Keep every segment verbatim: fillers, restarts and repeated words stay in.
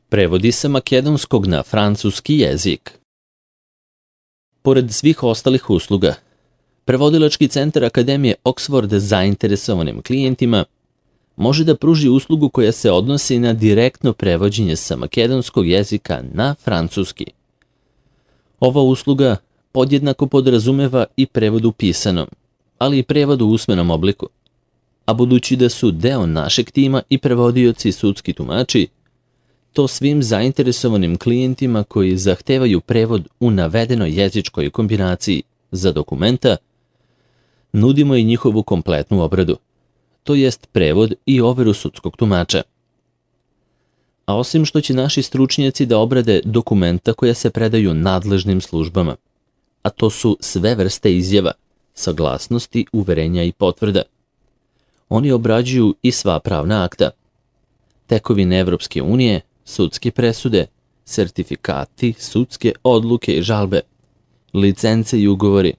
Prevodi sa makedonskog na francuski jezik. Pored svih ostalih usluga, prevodilački centar Akademije Oxford zainteresovanim klijentima može da pruži uslugu koja se odnosi na direktno prevođenje sa makedonskog jezika na francuski. Ova usluga podjednako podrazumeva i prevod u pisanom, ali i prevod u usmenom obliku. A budući da su deo našeg tima i prevodioci sudski tumači, to svim zainteresovanim klijentima koji zahtevaju prevod u navedenoj jezičkoj kombinaciji za dokumenta, nudimo i njihovu kompletnu obradu, to jest prevod i overu sudskog tumača. A osim što će naši stručnjaci da obrade dokumenta koja se predaju nadležnim službama, a to su sve vrste izjava, saglasnosti, uverenja i potvrda, oni obrađuju i sva pravna akta, tekovine Evropske unije, sudske presude, sertifikati, sudske odluke i žalbe, licence i ugovori,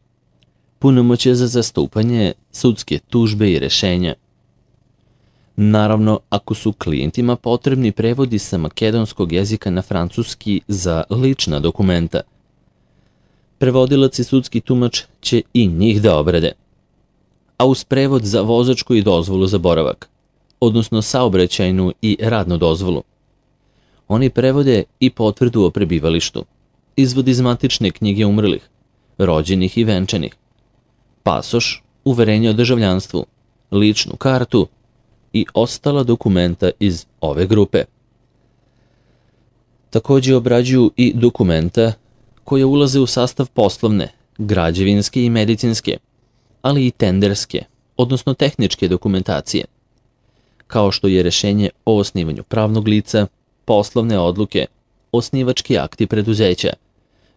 punomoćje za zastupanje, sudske tužbe i rešenja. Naravno, ako su klijentima potrebni prevodi sa makedonskog jezika na francuski za lična dokumenta, prevodilac i sudski tumač će i njih da obrade. A uz prevod za vozačku i dozvolu za boravak, odnosno saobraćajnu i radnu dozvolu, oni prevode i potvrdu o prebivalištu, izvod iz matične knjige umrlih, rođenih i venčanih, pasoš, uverenje o državljanstvu, ličnu kartu i ostala dokumenta iz ove grupe. Također obrađuju i dokumenta koje ulaze u sastav poslovne, građevinske i medicinske, ali i tenderske, odnosno tehničke dokumentacije, kao što je rešenje o osnivanju pravnog lica, poslovne odluke, osnivački akti preduzeća,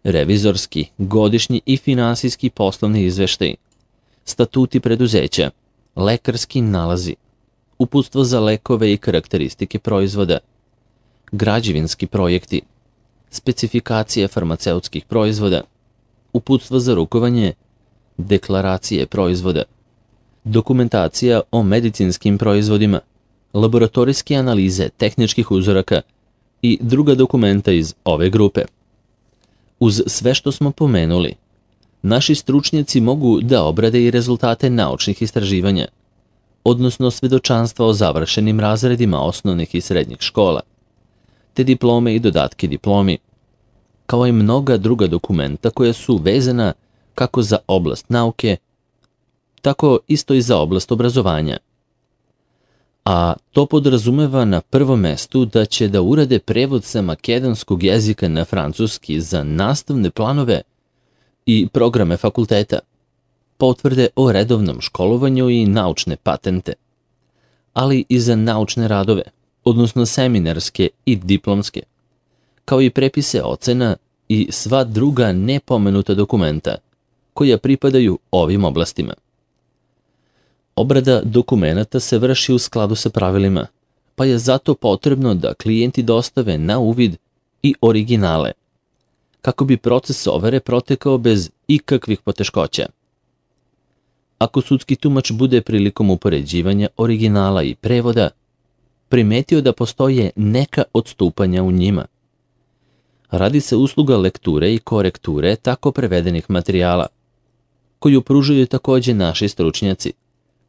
revizorski, godišnji i finansijski poslovni izveštaj, statuti preduzeća, lekarski nalazi, uputstvo za lekove i karakteristike proizvoda, građevinski projekti, specifikacije farmaceutskih proizvoda, uputstvo za rukovanje, deklaracije proizvoda, dokumentacija o medicinskim proizvodima, laboratorijske analize tehničkih uzoraka i druga dokumenta iz ove grupe. Uz sve što smo pomenuli, naši stručnjaci mogu da obrade i rezultate naučnih istraživanja, odnosno svedočanstva o završenim razredima osnovnih i srednjih škola, te diplome i dodatke diplomi, kao i mnoga druga dokumenta koja su vezana kako za oblast nauke, tako isto i za oblast obrazovanja. A to podrazumeva na prvom mestu da će da urade prevod sa makedonskog jezika na francuski za nastavne planove i programe fakulteta, potvrde o redovnom školovanju i naučne patente, ali i za naučne radove, odnosno seminarske i diplomske, kao i prepise ocena i sva druga nepomenuta dokumenta koja pripadaju ovim oblastima. Obrada dokumenata se vrši u skladu sa pravilima, pa je zato potrebno da klijenti dostave na uvid i originale, kako bi proces overe protekao bez ikakvih poteškoća. Ako sudski tumač bude prilikom upoređivanja originala i prevoda primetio da postoje neka odstupanja u njima, radi se usluga lekture i korekture tako prevedenih materijala, koju pružaju također naši stručnjaci,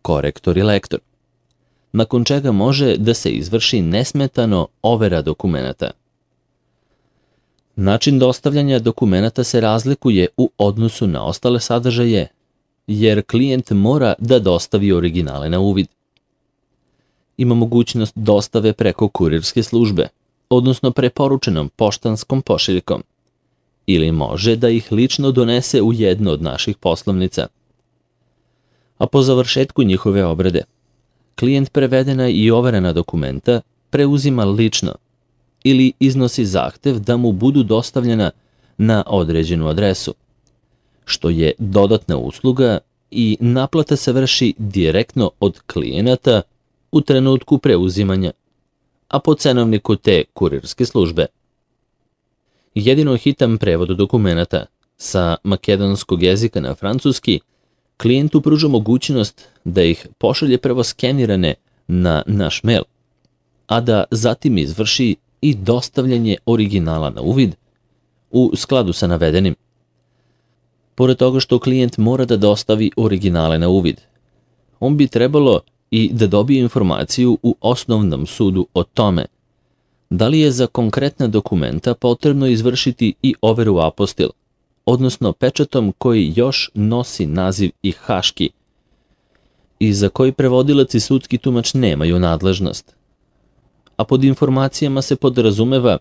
korektor i lektor, nakon čega može da se izvrši nesmetano overa dokumenata. Način dostavljanja dokumenata se razlikuje u odnosu na ostale sadržaje, jer klijent mora da dostavi originale na uvid. Ima mogućnost dostave preko kurirske službe, odnosno preporučenom poštanskom pošiljkom, ili može da ih lično donese u jednu od naših poslovnica. A po završetku njihove obrade, klijent prevedena i overena dokumenta preuzima lično ili iznosi zahtev da mu budu dostavljena na određenu adresu, što je dodatna usluga i naplata se vrši direktno od klijenata u trenutku preuzimanja, a po cenovniku te kurirske službe. Jedino hitan prevod dokumenata sa makedonskog jezika na francuski klijentu pruža mogućnost da ih pošalje prvo skenirane na naš mail, a da zatim izvrši i dostavljanje originala na uvid u skladu sa navedenim. Pored toga što klijent mora da dostavi originale na uvid, on bi trebalo i da dobije informaciju u osnovnom sudu o tome da li je za konkretna dokumenta potrebno izvršiti i overu apostil, odnosno pečatom koji još nosi naziv i haški i za koji prevodilac i sudski tumač nemaju nadležnost. A pod informacijama se podrazumeva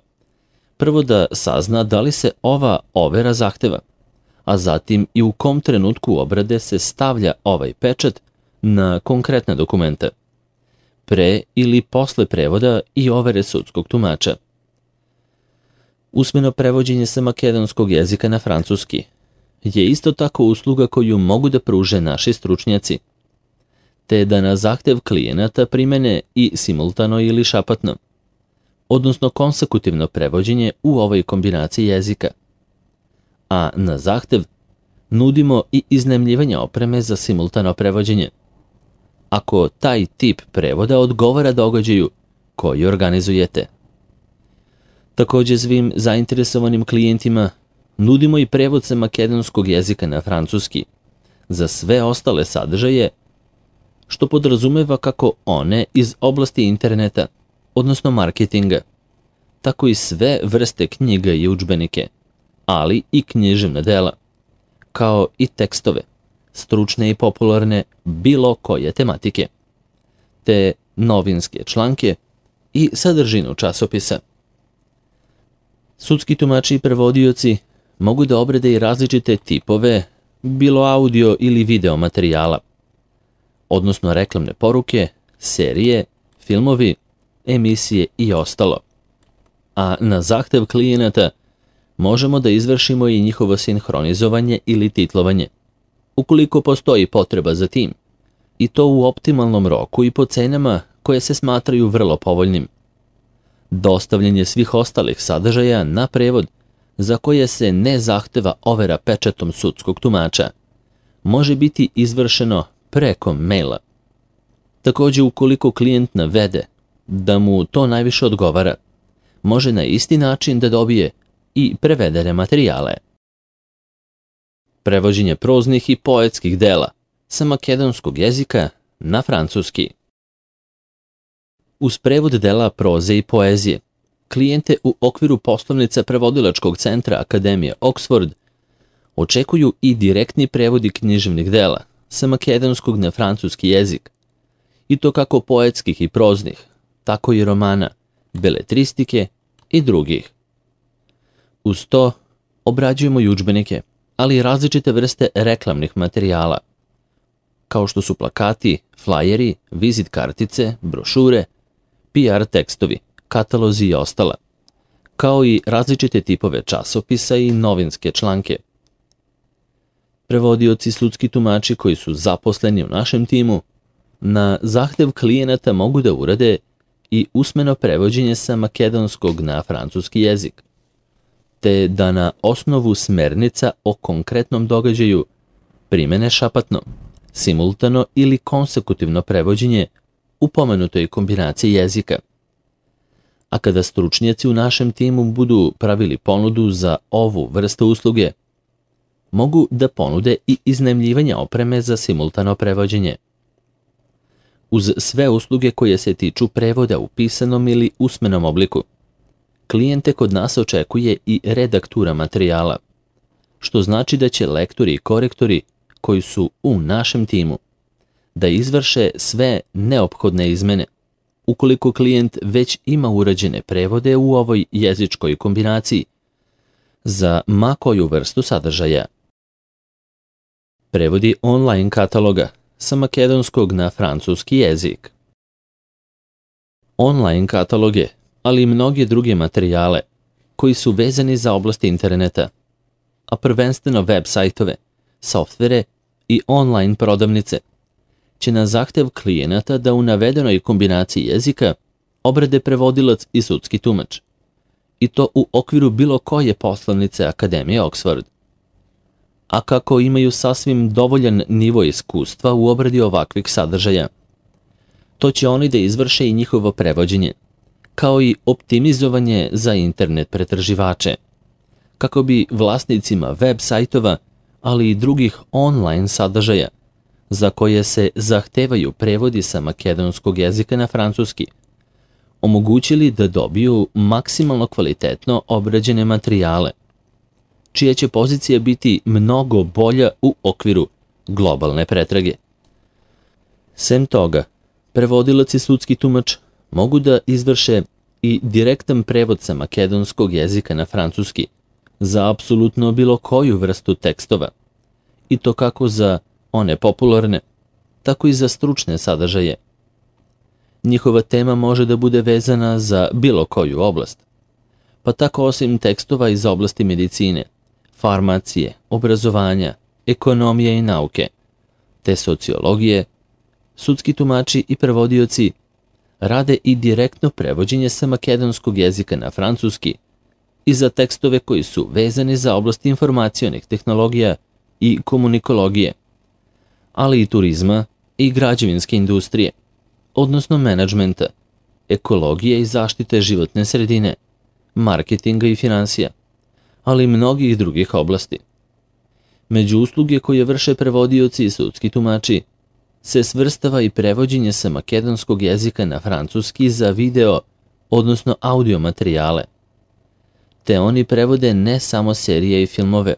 prvo da sazna da li se ova overa zahteva, a zatim i u kom trenutku obrade se stavlja ovaj pečat na konkretna dokumenta, pre ili posle prevoda i overe sudskog tumača. Usmeno prevođenje sa makedonskog jezika na francuski je isto tako usluga koju mogu da pruže naši stručnjaci, te da na zahtev klijenata primene i simultano ili šapatno, odnosno konsekutivno prevođenje u ovoj kombinaciji jezika. A na zahtev nudimo i iznajmljivanje opreme za simultano prevođenje, ako taj tip prevoda odgovara događaju koji organizujete. Takođe svim zainteresovanim klijentima nudimo i prevod sa makedonskog jezika na francuski za sve ostale sadržaje, što podrazumeva kako one iz oblasti interneta, odnosno marketinga, tako i sve vrste knjiga i udžbenike, ali i književna dela, kao i tekstove, stručne i popularne bilo koje tematike, te novinske članke i sadržinu časopisa. Sudski tumači i prevodioci mogu da obrade i različite tipove, bilo audio ili video materijala, odnosno reklamne poruke, serije, filmovi, emisije i ostalo. A na zahtev klijenata možemo da izvršimo i njihovo sinhronizovanje ili titlovanje, ukoliko postoji potreba za tim, i to u optimalnom roku i po cenama koje se smatraju vrlo povoljnim. Dostavljanje svih ostalih sadržaja na prevod za koje se ne zahteva overa pečatom sudskog tumača može biti izvršeno preko maila. Takođe, ukoliko klijent navede da mu to najviše odgovara, može na isti način da dobije i prevedene materijale. Prevođenje proznih i poetskih dela sa makedonskog jezika na francuski. Uz prevod dela proze i poezije, klijente u okviru poslovnica prevodilačkog centra Akademije Oxford očekuju i direktni prevodi književnih dela sa makedonskog na francuski jezik, i to kako poetskih i proznih, tako i romana, beletristike i drugih. Uz to obrađujemo i udžbenike, ali i različite vrste reklamnih materijala, kao što su plakati, flajeri, vizit kartice, brošure, P R tekstovi, katalozi i ostala, kao i različite tipove časopisa i novinske članke. Prevodioci sudski tumači koji su zaposleni u našem timu na zahtev klijenata mogu da urade i usmeno prevođenje sa makedonskog na francuski jezik, te da na osnovu smernica o konkretnom događaju primene šapatno, simultano ili konsekutivno prevođenje u pomenutoj kombinaciji jezika. A kada stručnjaci u našem timu budu pravili ponudu za ovu vrstu usluge, mogu da ponude i iznajmljivanje opreme za simultano prevođenje. Uz sve usluge koje se tiču prevoda u pisanom ili usmenom obliku, klijente kod nas očekuje i redaktura materijala, što znači da će lektori i korektori koji su u našem timu da izvrše sve neophodne izmene, ukoliko klijent već ima urađene prevode u ovoj jezičkoj kombinaciji za ma koju vrstu sadržaja. Prevodi online kataloga sa makedonskog na francuski jezik. Online kataloge, ali i mnoge druge materijale koji su vezani za oblast interneta, a prvenstveno web sajtove, softvere i online prodavnice, će na zahtev klijenata da u navedenoj kombinaciji jezika obrade prevodilac i sudski tumač, i to u okviru bilo koje poslovnice Akademije Oxford. A kako imaju sasvim dovoljan nivo iskustva u obradi ovakvih sadržaja, to će oni da izvrše i njihovo prevođenje, kao i optimizovanje za internet pretraživače, kako bi vlasnicima web sajtova, ali i drugih online sadržaja, za koje se zahtevaju prevodi sa makedonskog jezika na francuski, omogućili da dobiju maksimalno kvalitetno obrađene materijale, čija će pozicija biti mnogo bolja u okviru globalne pretrage. Sem toga, prevodilac i sudski tumač mogu da izvrše i direktan prevod sa makedonskog jezika na francuski za apsolutno bilo koju vrstu tekstova, i to kako za one popularne, tako i za stručne sadržaje. Njihova tema može da bude vezana za bilo koju oblast, pa tako osim tekstova iz oblasti medicine, farmacije, obrazovanja, ekonomije i nauke, te sociologije, sudski tumači i prevodioci rade i direktno prevođenje sa makedonskog jezika na francuski i za tekstove koji su vezani za oblast informacionih tehnologija i komunikologije, ali i turizma i građevinske industrije, odnosno menadžmenta, ekologije i zaštite životne sredine, marketinga i finansija, ali i mnogih drugih oblasti. Među usluge koje vrše prevodioci i sudski tumači se svrstava i prevođenje sa makedonskog jezika na francuski za video, odnosno audio materijale. Te oni prevode ne samo serije i filmove,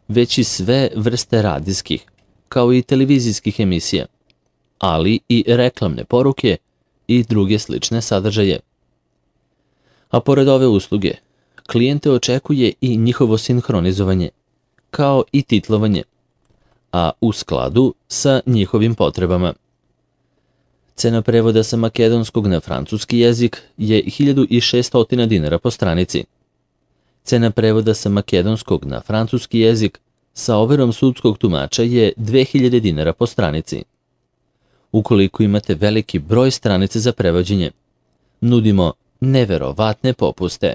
već i sve vrste radijskih, kao i televizijskih emisija, ali i reklamne poruke i druge slične sadržaje. A pored ove usluge, klijente očekuje i njihovo sinhronizovanje, kao i titlovanje, a u skladu sa njihovim potrebama. Cena prevoda sa makedonskog na francuski jezik je hiljadu šessto dinara po stranici. Cena prevoda sa makedonskog na francuski jezik sa overom sudskog tumača je dve hiljade dinara po stranici. Ukoliko imate veliki broj stranice za prevođenje, nudimo neverovatne popuste.